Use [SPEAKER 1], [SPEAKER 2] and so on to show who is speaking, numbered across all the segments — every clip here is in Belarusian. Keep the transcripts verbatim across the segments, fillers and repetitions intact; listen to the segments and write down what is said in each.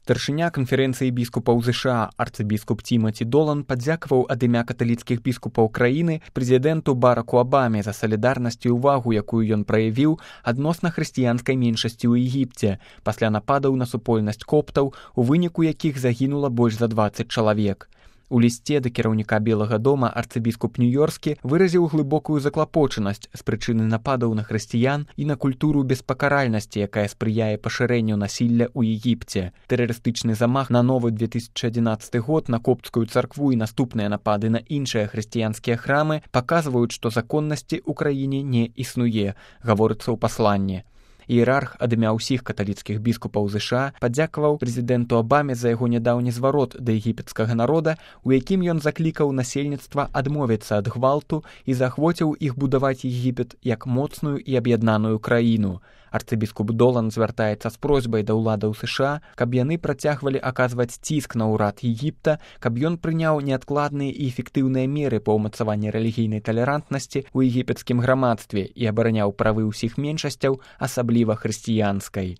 [SPEAKER 1] Старшыня канферэнцыі біскупаў ЗША арцыбіскуп Тімаці Долан падзякаваў ад імя каталіцкіх біскупаў краіны прэзідэнту Бараку Абаме за салідарнасць і ўвагу, якую ён праявіў адносна хрысціянскай меншасці ў Егіпце пасля нападаў на супольнасць коптаў, у выніку якіх загінула больш за дваццаць чалавек. У лісце да кіраўніка Белага дома арцыбіскуп Нью-Йорскі выразіў глыбокую заклапочанасць з прычыны нападаў на хрысціян і на культуру беспакаральнасці, якая спрыяе пашырэнню насілля ў Егіпце. Тэрарыстычны замах на новы две тысячы адзінаццаты год на копцкую царкву і наступныя напады на іншыя хрысціянскія храмы паказваюць, што законнасці ў краіне не існуе, гаворыцца ў пасланні. Іерарх ад імя ўсіх каталіцкіх біскупаў ЗША падзякаваў прэзідэнту Абаме за яго нядаўні зварот да егіпецкага народа, у якім ён заклікаў насельніцтва адмовіцца ад гвалту і заахвоціў іх будаваць Егіпет як моцную і аб'яднаную краіну. Арцыбіскуп Долан звяртаецца з просьбай да ўладаў ЗША, каб яны працягвалі аказваць ціск на ўрад Егіпта, каб ён прыняў неадкладныя і эфектыўныя меры па ўмацаванні рэлігійнай талерантнасці ў егіпецкім грамадстве і абараняў правы ўсіх меншасцяў, асабліва хрысціянскай.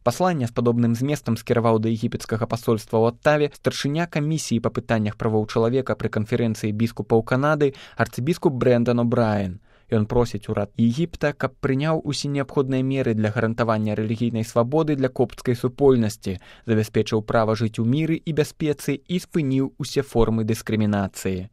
[SPEAKER 1] Пасланне з падобным зместам скіраваў да егіпецкага пасольства ў Оттаве старшыня камісіі па пытаннях правоў чалавека пры канферэнцыі біскупаў Канады арцыбіскуп Брэндон О'Брайен. Ён просіць урад Егіпта, каб прыняў усе неабходныя меры для гарантавання рэлігійнай свабоды для копцкай супольнасці, забяспечыў права жыць у міры і бяспецы і спыніў усе формы дыскрымінацыі.